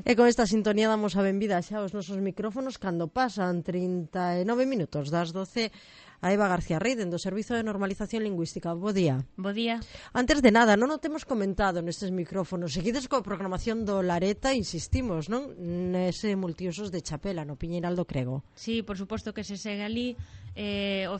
E con esta sintonía damos a benvida xa aos nosos micrófonos cando pasan 39 minutos das 12 a Eva García Rey, do Servizo de Normalización Lingüística. Bo día. Bo día. Antes de nada, non o temos comentado nestes micrófonos. Seguides coa programación do Lareta, insistimos, non? Nese multiusos de Chapela, no Piñeiral do Crego. Sí, por suposto que se segue ali. De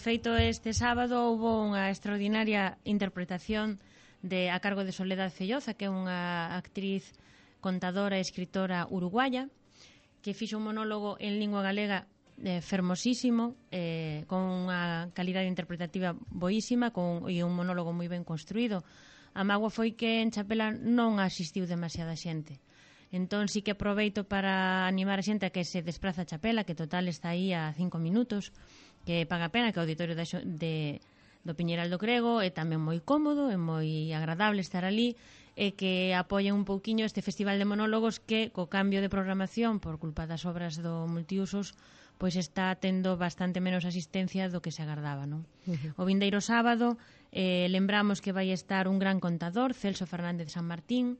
feito, este sábado houve unha extraordinaria interpretación a cargo de Soledad Felloza, que é unha actriz, contadora e escritora uruguaya, que fixo un monólogo en lingua galega fermosísimo, con unha calidade interpretativa boísima e un monólogo moi ben construído. A mágoa foi que en Chapela non asistiu demasiada xente. Entón sí que aproveito para animar a xente a que se despraza a Chapela, que total está aí a 5 minutos, que paga pena, que o auditorio do Piñeiral do Crego é tamén moi cómodo, é moi agradable estar ali, e que apoien un pouquiño este festival de monólogos que, co cambio de programación por culpa das obras do multiusos, pois está tendo bastante menos asistencia do que se agardaba, non? O vindeiro sábado lembramos que vai estar un gran contador, Celso Fernández San Martín,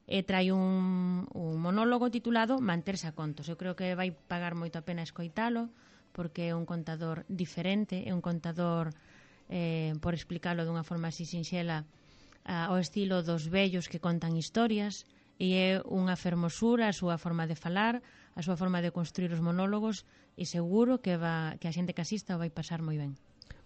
e trai un monólogo titulado Manterse a contos. Eu creo que vai pagar moito a pena escoitalo, porque é un contador diferente, é un contador, por explicalo dunha forma así sinxela, ao estilo dos vellos que contan historias, e é unha fermosura a súa forma de falar, a súa forma de construir os monólogos, e seguro que a xente que asista vai pasar moi ben.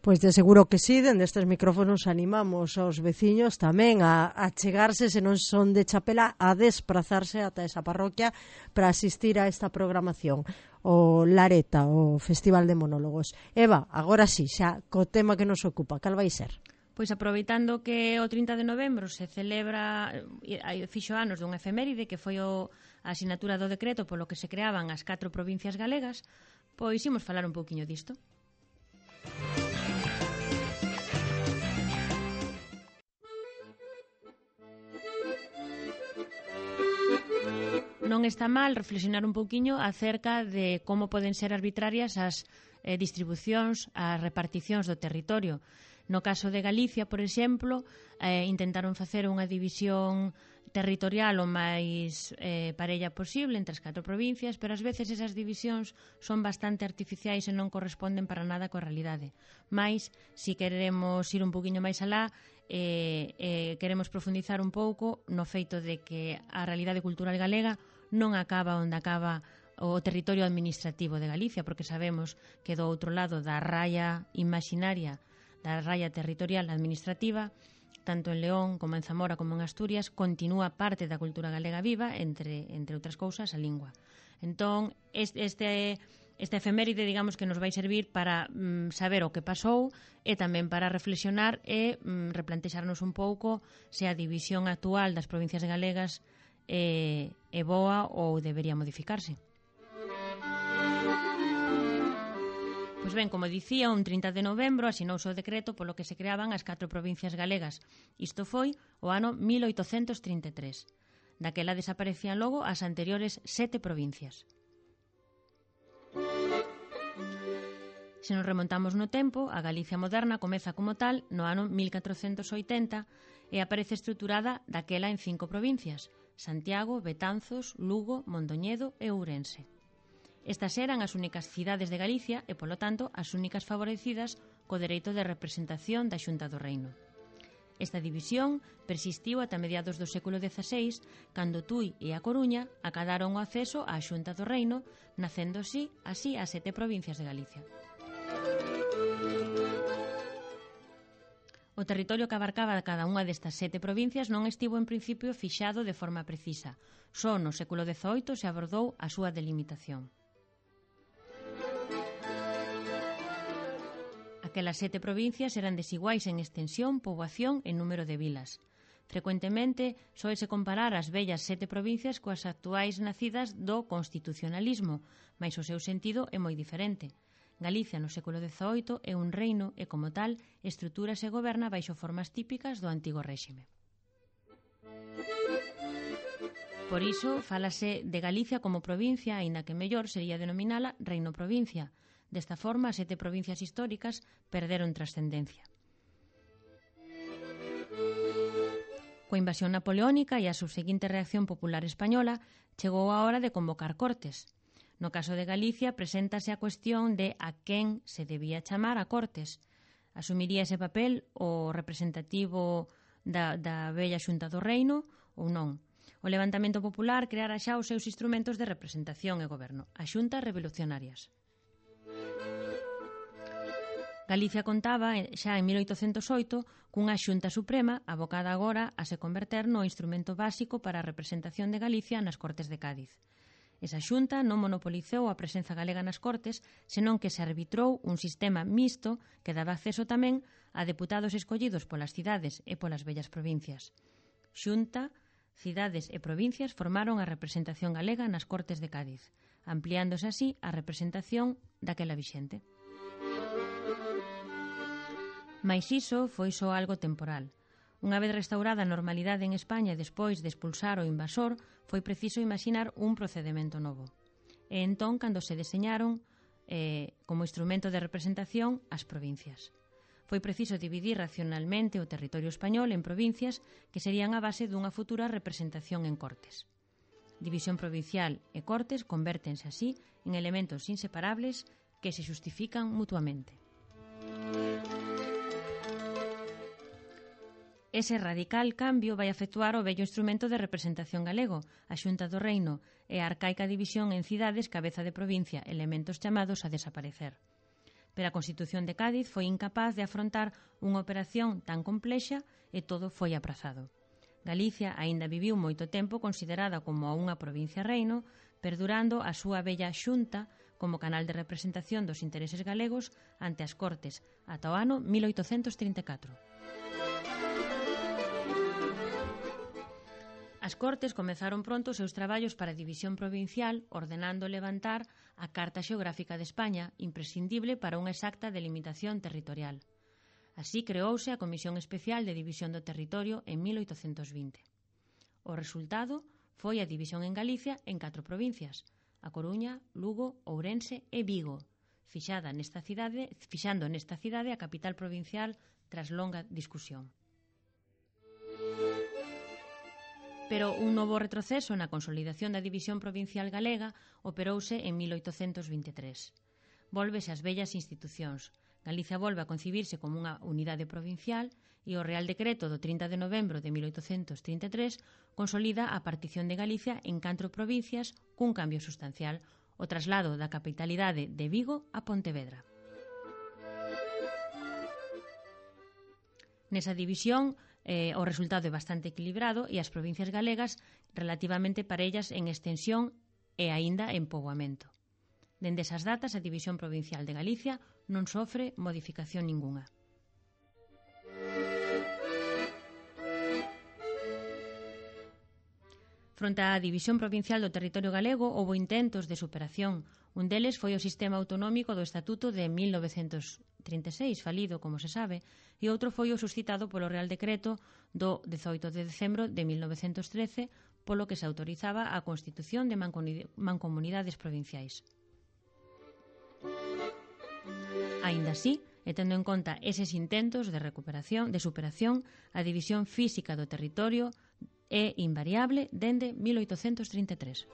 Pois de seguro que sí, dende estes micrófonos animamos aos veciños tamén a chegarse, se non son de Chapela, a desplazarse ata esa parroquia para asistir a esta programación, o Lareta, o Festival de Monólogos. Eva, agora sí, xa co tema que nos ocupa, cal vai ser? Pois aproveitando que o 30 de novembro se celebra, fixo anos dunha efeméride que foi a asinatura do decreto polo que se creaban as 4 provincias galegas, pois imos falar un pouquiño disto. Non está mal reflexionar un pouquiño acerca de como poden ser arbitrarias as distribucións, as reparticións do territorio. No caso de Galicia, por exemplo, intentaron facer unha división territorial o máis parella posible entre as 4 provincias, pero ás veces esas divisións son bastante artificiais e non corresponden para nada coa realidade. Mais, se queremos ir un poquinho máis alá, queremos profundizar un pouco no feito de que a realidade cultural galega non acaba onde acaba o territorio administrativo de Galicia, porque sabemos que do outro lado da raya imaginaria, da raya territorial administrativa, tanto en León como en Zamora como en Asturias, continúa parte da cultura galega viva, entre outras cousas, a lingua. Entón, esta efeméride, digamos, que nos vai servir para saber o que pasou e tamén para reflexionar e replantexarnos un pouco se a división actual das provincias galegas é boa ou debería modificarse. Pois ben, como dicía, un 30 de novembro asinouse o decreto polo que se creaban as 4 provincias galegas. Isto foi o ano 1833. Daquela desaparecían logo as anteriores 7 provincias. Se nos remontamos no tempo, a Galicia moderna comeza como tal no ano 1480 e aparece estruturada daquela en 5 provincias: Santiago, Betanzos, Lugo, Mondoñedo e Ourense. Estas eran as únicas cidades de Galicia e, polo tanto, as únicas favorecidas co dereito de representación da Xunta do Reino. Esta división persistiu ata mediados do século XVI, cando Tui e A Coruña acadaron o acceso á Xunta do Reino, nacendo así as 7 provincias de Galicia. O territorio que abarcaba cada unha destas 7 provincias non estivo en principio fixado de forma precisa. Só no século XVIII se abordou a súa delimitación. Aquelas 7 provincias eran desiguais en extensión, poboación e número de vilas. Frecuentemente, soese comparar as vellas 7 provincias coas actuais nacidas do constitucionalismo, mais o seu sentido é moi diferente. Galicia no século XVIII é un reino e, como tal, estrutúrase e goberna baixo formas típicas do antigo réxime. Por iso, fálase de Galicia como provincia, aínda que mellor sería denominala reino-provincia. Desta forma, as 7 provincias históricas perderon trascendencia. Coa invasión napoleónica e a subseguinte reacción popular española, chegou a hora de convocar Cortes. No caso de Galicia, preséntase a cuestión de a quen se debía chamar a Cortes. Asumiría ese papel o representativo da vella Xunta do Reino ou non. O levantamento popular creara xa os seus instrumentos de representación e goberno, as xuntas revolucionarias. Galicia contaba xa en 1808 cunha Xunta Suprema abocada agora a se converter no instrumento básico para a representación de Galicia nas Cortes de Cádiz. Esa xunta non monopolizou a presenza galega nas Cortes, senón que se arbitrou un sistema mixto que daba acceso tamén a deputados escollidos polas cidades e polas vellas provincias. Xunta, cidades e provincias formaron a representación galega nas Cortes de Cádiz, ampliándose así a representación daquela vixente. Mais iso foi só algo temporal. Unha vez restaurada a normalidade en España despois de expulsar o invasor, foi preciso imaxinar un procedemento novo. E entón, cando se deseñaron como instrumento de representación as provincias. Foi preciso dividir racionalmente o territorio español en provincias que serían a base dunha futura representación en Cortes. División provincial e Cortes convértense así en elementos inseparables que se xustifican mutuamente. Ese radical cambio vai afectuar o vello instrumento de representación galego, a Xunta do Reino, e a arcaica división en cidades, cabeza de provincia, elementos chamados a desaparecer. Pero a Constitución de Cádiz foi incapaz de afrontar unha operación tan complexa e todo foi aprazado. Galicia aínda viviu moito tempo considerada como unha provincia reino, perdurando a súa bella Xunta como canal de representación dos intereses galegos ante as Cortes ata o ano 1834. As Cortes comezaron pronto os seus traballos para a división provincial, ordenando levantar a Carta Xeográfica de España, imprescindible para unha exacta delimitación territorial. Así creouse a Comisión Especial de División do Territorio en 1820. O resultado foi a división en Galicia en 4 provincias, a Coruña, Lugo, Ourense e Vigo, fixando nesta cidade a capital provincial tras longa discusión. Pero un novo retroceso na consolidación da división provincial galega operouse en 1823. Vólvese ás vellas institucións. Galicia volve a concibirse como unha unidade provincial e o Real Decreto do 30 de novembro de 1833 consolida a partición de Galicia en 4 provincias cun cambio sustancial, o traslado da capitalidade de Vigo a Pontevedra. Nesa división, o resultado é bastante equilibrado e as provincias galegas relativamente parellas en extensión e aínda en poboamento. Dende esas datas, a división provincial de Galicia non sofre modificación ningunha. Fronte á división provincial do territorio galego, houbo intentos de superación. Un deles foi o sistema autonómico do Estatuto de 1936, falido, como se sabe, e outro foi o suscitado polo Real Decreto do 18 de decembro de 1913, polo que se autorizaba a constitución de mancomunidades provinciais. Aínda así, e tendo en conta eses intentos de superación, a división física do territorio é invariable dende 1833.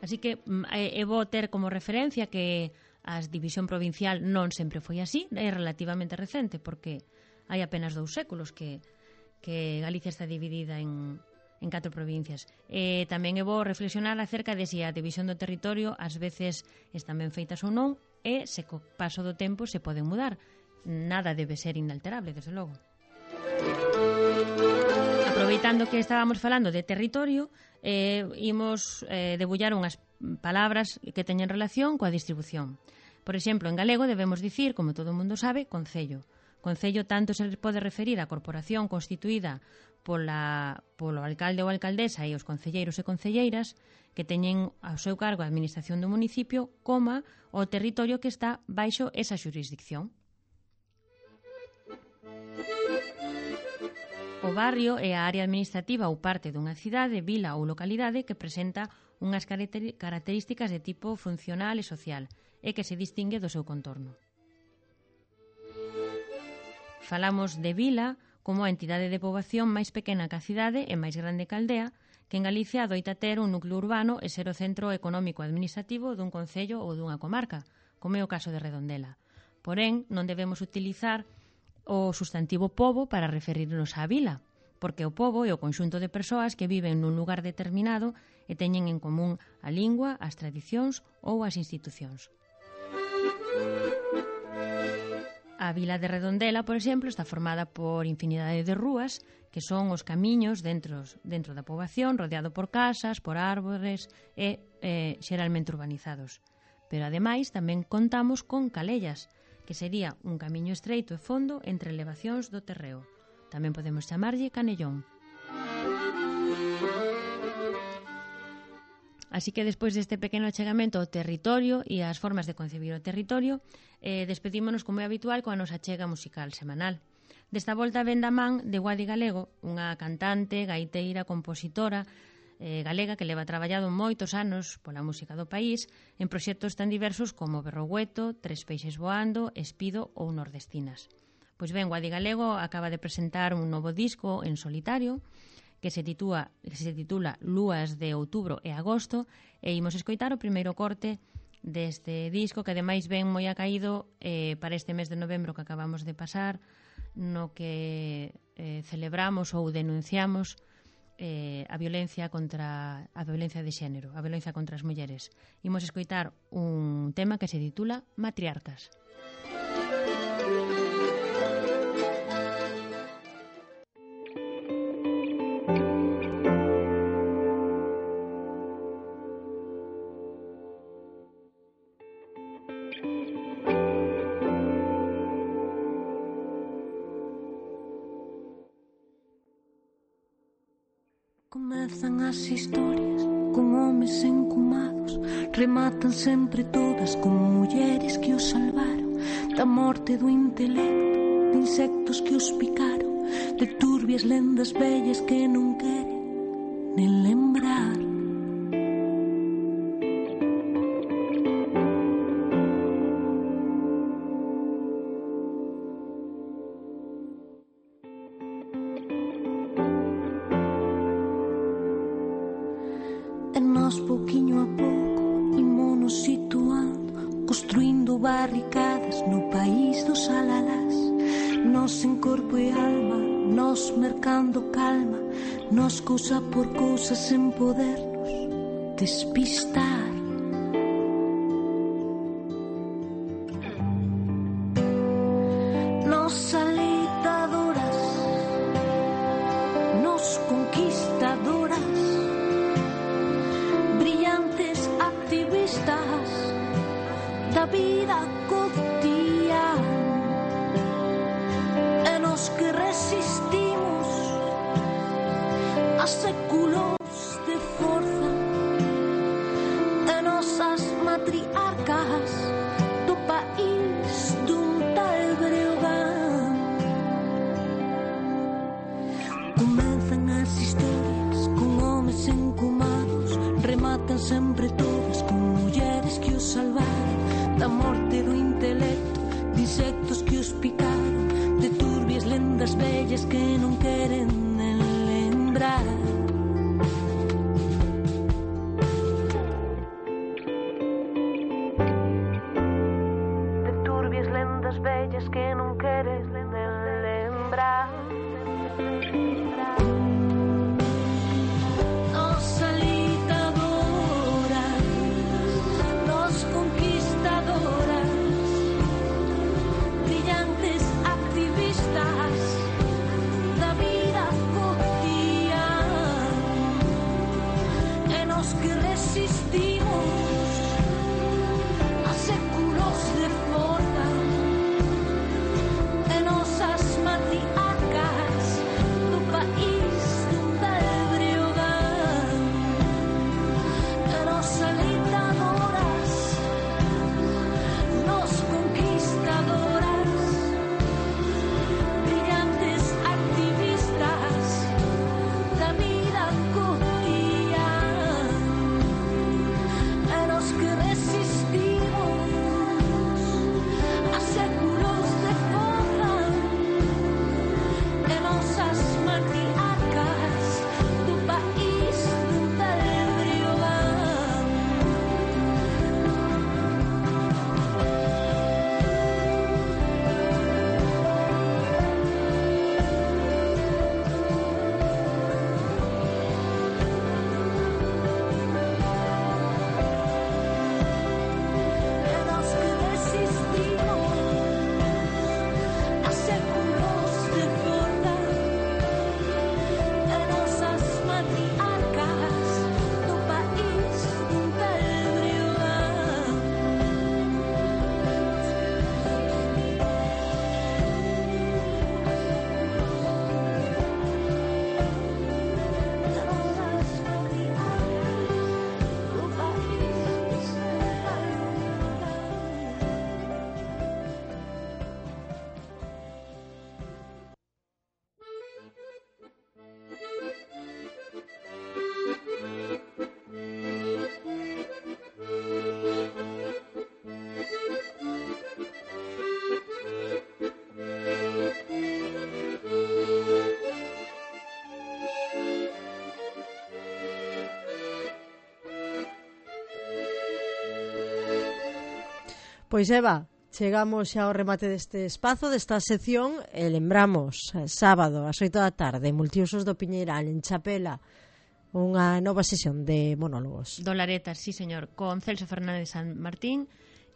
Así que é bo ter como referencia que a división provincial non sempre foi así, é relativamente recente, porque hai apenas 2 séculos que Galicia está dividida en 4 provincias. Tamén é bo reflexionar acerca de se a división do territorio ás veces están ben feitas ou non, e se co paso do tempo se poden mudar. Nada debe ser inalterable, desde logo. Aproveitando que estábamos falando de territorio, imos debullar unhas palabras que teñen relación coa distribución. Por exemplo, en galego debemos dicir, como todo o mundo sabe, concello. Concello tanto se pode referir á corporación constituída polo alcalde ou alcaldesa e os concelleiros e concelleiras que teñen ao seu cargo a administración do municipio, como o territorio que está baixo esa xurisdicción. O barrio é a área administrativa ou parte dunha cidade, vila ou localidade que presenta unhas características de tipo funcional e social e que se distingue do seu contorno. Falamos de vila como a entidade de poboación máis pequena que a cidade e máis grande que a aldea, que en Galicia adoita ter un núcleo urbano e ser o centro económico administrativo dun concello ou dunha comarca, como é o caso de Redondela. Porén, non debemos utilizar o sustantivo pobo para referirnos á vila, porque o pobo é o conxunto de persoas que viven nun lugar determinado e teñen en común a lingua, as tradicións ou as institucións. A vila de Redondela, por exemplo, está formada por infinidade de rúas, que son os camiños dentro da poboación, rodeado por casas, por árbores e xeralmente urbanizados. Pero, ademais, tamén contamos con calellas, que sería un camiño estreito e fondo entre elevacións do terreo. Tamén podemos chamarlle canellón. Así que despois deste pequeno achegamento ao territorio e ás formas de concebir o territorio, despedímonos como é habitual coa nosa achega musical semanal. Desta volta ven da man de Guadi Galego, unha cantante, gaiteira, compositora galega que leva traballado moitos anos pola música do país en proxectos tan diversos como Berrogueto, Tres peixes voando, Espido ou Nordestinas. Pois ben, Guadi Galego acaba de presentar un novo disco en solitario que se titula Lúas de outubro e agosto, e imos escoitar o primeiro corte deste disco, que ademais ven moi acaído para este mes de novembro que acabamos de pasar, no que celebramos ou denunciamos a violencia de xénero, a violencia contra as mulleres. Imos escoitar un tema que se titula Matriarcas. Comezan as historias con homes encumados, rematan sempre todas con mulleres que os salvaron da morte do intelecto, de insectos que os picaron, de turbias lendas vellas que non queren nen lembrar. E nós, pouquiño a pouco, imonos situando, construindo barricadas no país dos alalás. Nós en corpo e alma, nós mercando calma, nós cousa por cousa sen podernos despistar. Nós alitadoras, nós conquistadoras, brillantes activistas da vida cotidiana, e nos que resistimos a séculos de forza, e nosas matriarcas do país dun tal Breogán. Comezan as historias con homes encumados, rematan sempre todas con mulleres que os salvaron da morte do intelecto, de insectos que os picaron, de turbias lendas vellas que non queren nen lembrar. De turbias lendas vellas que non queren nen lembrar. Nos alitadoras, nos conquistadoras, brillantes activistas da vida cotidiana, e nos que resistimos a séculos de forza, e nosas matriarcas do país dun tal Breogán, e nos alitadoras, nos conquistadoras, brillantes activistas da vida cotidiana, e nos que resistimos a séculos de forza, Pois Eva, chegamos xa ao remate deste espazo, desta sección, e lembramos, sábado, ás 8 da tarde, Multiusos do Piñeiral, en Chapela, unha nova sesión de monólogos. Dolaretas, sí señor, con Celso Fernández San Martín,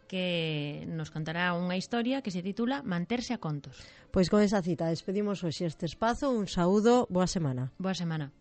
que nos contará unha historia que se titula Manterse a contos. Pois con esa cita despedimos hoxe este espazo. Un saúdo, boa semana. Boa semana.